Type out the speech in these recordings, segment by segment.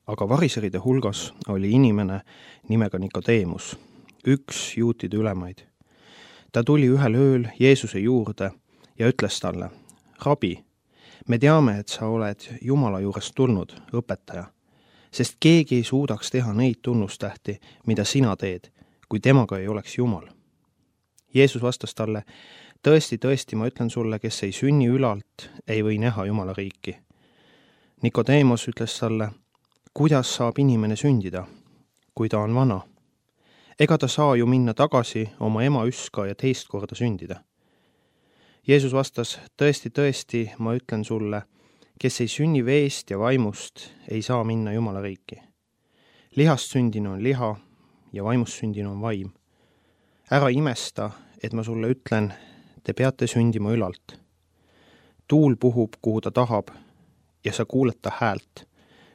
Aga variseride hulgas oli inimene nimega Nikodeemus, üks juutide ülemaid. Ta tuli ühel ööl Jeesuse juurde ja ütles talle: Rabi, me teame, et sa oled Jumala juurest tulnud, õpetaja, sest keegi ei suudaks teha neid tunnustähti, mida sina teed, kui temaga ei oleks Jumal. Jeesus vastas talle: tõesti, tõesti, ma ütlen sulle, kes ei sünni ülalt, ei või näha Jumala riiki. Nikodeemos ütles talle: kuidas saab inimene sündida, kui ta on vana? Ega ta saa ju minna tagasi oma ema üska ja teist korda sündida. Jeesus vastas: tõesti, tõesti, ma ütlen sulle, kes ei sünni veest ja vaimust, ei saa minna Jumala riiki. Lihast sündinu on liha ja vaimust sündinu on vaim. Ära imesta, et ma sulle ütlen, te peate sündima ülalt. Tuul puhub, kuhu ta tahab, ja sa kuuled ta häält,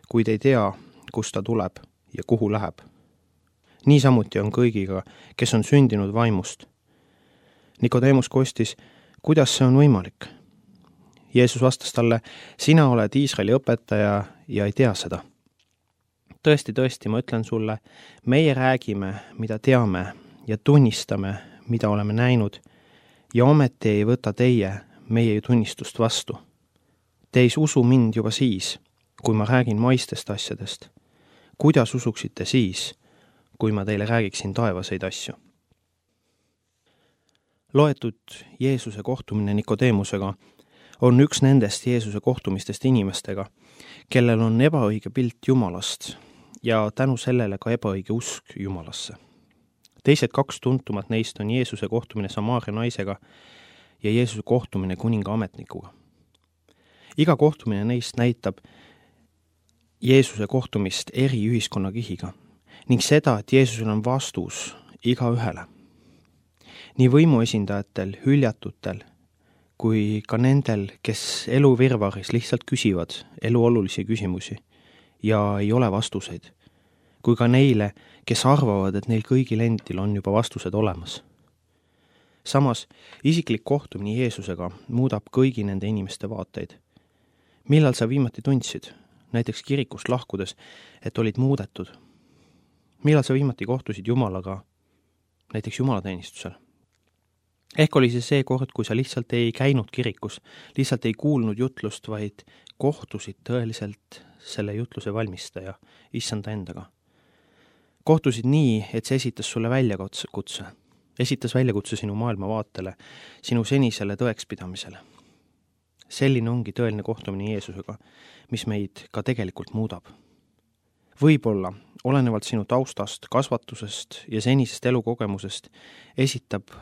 kuid ei tea, kust ta tuleb ja kuhu läheb. Niisamuti on kõigiga, kes on sündinud vaimust. Nikodeemus kostis: kuidas see on võimalik? Jeesus vastas talle: sina oled Iisraeli õpetaja ja ei tea seda. Tõesti, tõesti, ma ütlen sulle, meie räägime, mida teame ja tunnistame, mida oleme näinud, ja ometi ei võta teie meie tunnistust vastu. Te ei usu mind juba siis, kui ma räägin maistest asjadest. Kuidas usuksite siis, kui ma teile räägiksin taevaseid asju? Loetud Jeesuse kohtumine Nikodeemusega on üks nendest Jeesuse kohtumistest inimestega, kellel on ebaõige pilt Jumalast ja tänu sellele ka ebaõige usk Jumalasse. Teised kaks tuntumat neist on Jeesuse kohtumine Samaaria naisega ja Jeesuse kohtumine kuninga ametnikuga. Iga kohtumine neist näitab Jeesuse kohtumist eri ühiskonnakihiga ning seda, et Jeesusel on vastus igaühele. Nii võimuesindajatel, hüljatutel, kui ka nendel, kes elu virvaris lihtsalt küsivad elu olulisi küsimusi ja ei ole vastuseid, kui ka neile, kes arvavad, et neil kõigil endil on juba vastused olemas. Samas, isiklik kohtumine Jeesusega muudab kõigi nende inimeste vaateid. Millal sa viimati tundsid, näiteks kirikust lahkudes, et olid muudetud? Millal sa viimati kohtusid Jumalaga, näiteks jumalateenistusel? Ehk oli see kord, kui sa lihtsalt ei käinud kirikus, lihtsalt ei kuulnud jutlust, vaid kohtusid tõeliselt selle jutluse valmistaja, issanda endaga. Kohtusid nii, et see esitas sulle väljakutse. Esitas väljakutse sinu maailmavaatele, sinu senisele tõekspidamisele. Selline ongi tõeline kohtumine Jeesusega, mis meid ka tegelikult muudab. Võib-olla, olenevalt sinu taustast, kasvatusest ja senisest elukogemusest, esitab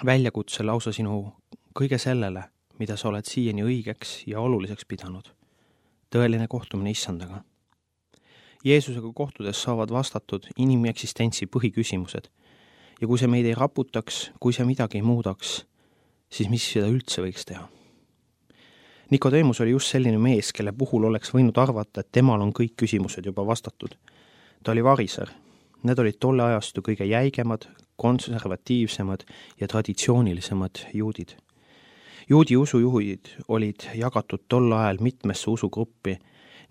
väljakutse lausa sinu kõige sellele, mida sa oled siiani õigeks ja oluliseks pidanud. Tõeline kohtumine issandaga. Jeesusega kohtudes saavad vastatud inimeksistentsi põhiküsimused ja kui see meid ei raputaks, kui see midagi ei muudaks, siis mis seda üldse võiks teha? Nikodeemus oli just selline mees, kelle puhul oleks võinud arvata, et temal on kõik küsimused juba vastatud. Ta oli variser. Need olid tolle ajastu kõige jäigemad, konservatiivsemad ja traditsioonilisemad juudid. Juudi usujuhid olid jagatud tol ajal mitmesse usugruppi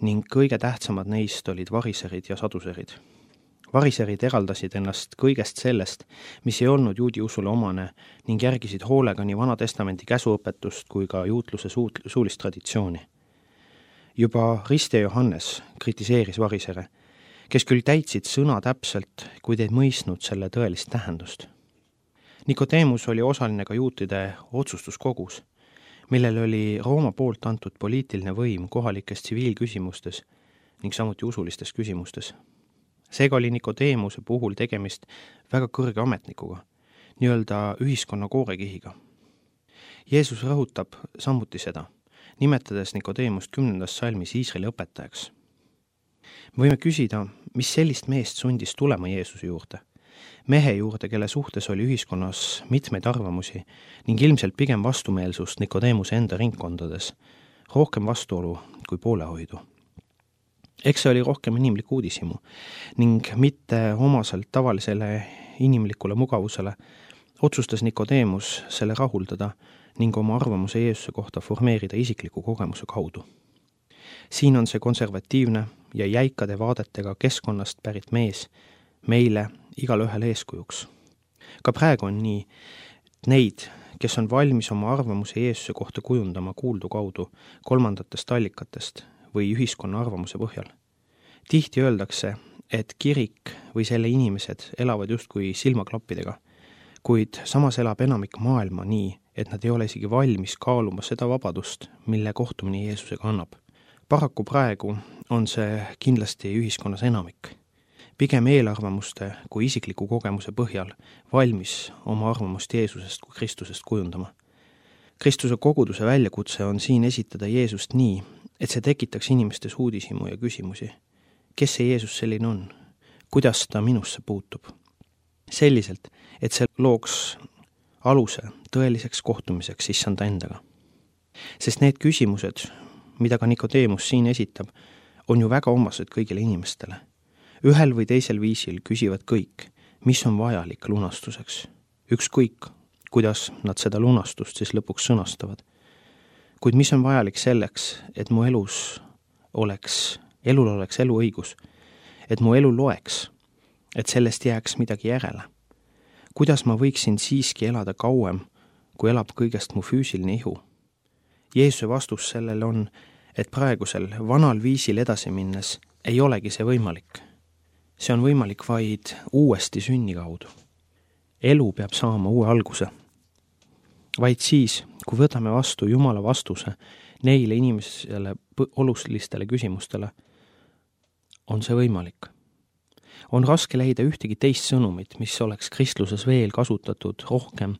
ning kõige tähtsamad neist olid variserid ja saduserid. Variserid eraldasid ennast kõigest sellest, mis ei olnud juudi usule omane ning järgisid hoolega nii Vana Testamendi käsuõpetust kui ka juutluse suulist traditsiooni. Juba Riste Johannes kritiseeris varisere, kes küll täitsid sõna täpselt, kuid ei mõistnud selle tõelist tähendust. Nikodeemus oli osaline ka juutide otsustuskogus, millel oli Rooma poolt antud poliitiline võim kohalikes tsiviilküsimustes ning samuti usulistes küsimustes. Seega oli Nikodeemuse puhul tegemist väga kõrge ametnikuga, nii-öelda ühiskonna koorekihiga. Jeesus rõhutab samuti seda, nimetades Nikodeemust 10. salmis Iisraeli õpetajaks. Me võime küsida, mis sellist meest sundis tulema Jeesuse juurde, mehe juurde, kelle suhtes oli ühiskonnas mitmeid arvamusi ning ilmselt pigem vastumeelsust Nikodeemuse enda ringkondades, rohkem vastuolu kui poolehoidu. Eks see oli rohkem inimlik uudishimu ning mitte omaselt tavalisele inimlikule mugavusele otsustas Nikodeemus selle rahuldada ning oma arvamuse Jeesuse kohta formeerida isikliku kogemuse kaudu. Siin on see konservatiivne, ja jäikade vaadetega keskkonnast pärit mees meile igalühel eeskujuks. Ka praegu on nii, et neid, kes on valmis oma arvamuse Jeesuse kohta kujundama kuuldu kaudu kolmandatest allikatest või ühiskonna arvamuse põhjal. Tihti öeldakse, et kirik või selle inimesed elavad justkui silmaklappidega, kuid samas elab enamik maailma nii, et nad ei ole isegi valmis kaaluma seda vabadust, mille kohtumine Jeesusega annab. Paraku praegu on see kindlasti ühiskonnas enamik. Pigem eelarvamuste kui isikliku kogemuse põhjal valmis oma arvamust Jeesusest kui Kristusest kujundama. Kristuse koguduse väljakutse on siin esitada Jeesust nii, et see tekitaks inimestes uudishimu ja küsimusi. Kes see Jeesus selline on? Kuidas ta minusse puutub? Selliselt, et see looks aluse tõeliseks kohtumiseks issanda endaga. Sest need küsimused, mida ka Nikodeemus siin esitab, on ju väga omased kõigile inimestele. Ühel või teisel viisil küsivad kõik, mis on vajalik lunastuseks. Ükskõik, kuidas nad seda lunastust siis lõpuks sõnastavad. Kuid mis on vajalik selleks, et mu elul oleks eluõigus, et mu elu loeks, et sellest jääks midagi järele. Kuidas ma võiksin siiski elada kauem, kui elab kõigest mu füüsiline ihu? Jeesuse vastus sellele on, et praegusel vanal viisil edasi minnes ei olegi see võimalik. See on võimalik vaid uuesti sünni kaudu. Elu peab saama uue alguse. Vaid siis, kui võtame vastu Jumala vastuse neile inimesele olulistele küsimustele, on see võimalik. On raske leida ühtegi teist sõnumit, mis oleks kristluses veel kasutatud rohkem,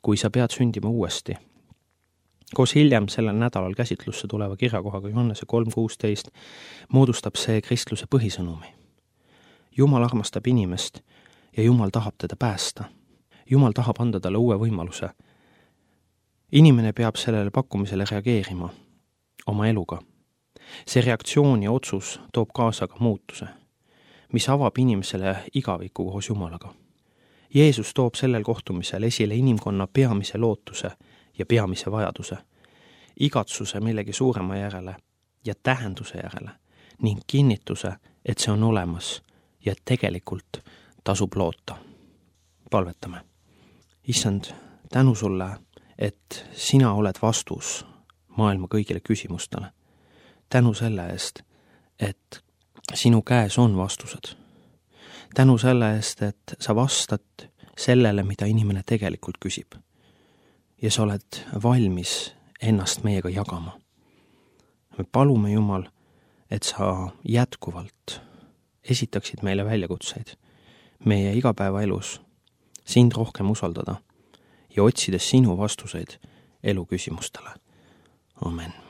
kui sa pead sündima uuesti. Koos hiljem sellel nädalal käsitlusse tuleva kirjakohaga Johannese 3:16 moodustab see kristluse põhisõnumi. Jumal armastab inimest ja Jumal tahab teda päästa. Jumal tahab anda talle uue võimaluse. Inimene peab sellele pakkumisele reageerima oma eluga. See reaktsioon ja otsus toob kaasa ka muutuse, mis avab inimesele igaviku koos Jumalaga. Jeesus toob sellel kohtumisel esile inimkonna peamise lootuse ja peamise vajaduse, igatsuse millegi suurema järele ja tähenduse järele ning kinnituse, et see on olemas ja tegelikult tasub loota. Palvetame. Issand, tänu sulle, et sina oled vastus maailma kõigile küsimustele. Tänu selle eest, et sinu käes on vastused. Tänu selle eest, et sa vastad sellele, mida inimene tegelikult küsib. Ja sa oled valmis ennast meiega jagama. Me palume, Jumal, et sa jätkuvalt esitaksid meile väljakutseid meie igapäevaelus, sind rohkem usaldada ja otsides sinu vastuseid elu küsimustele. Amen.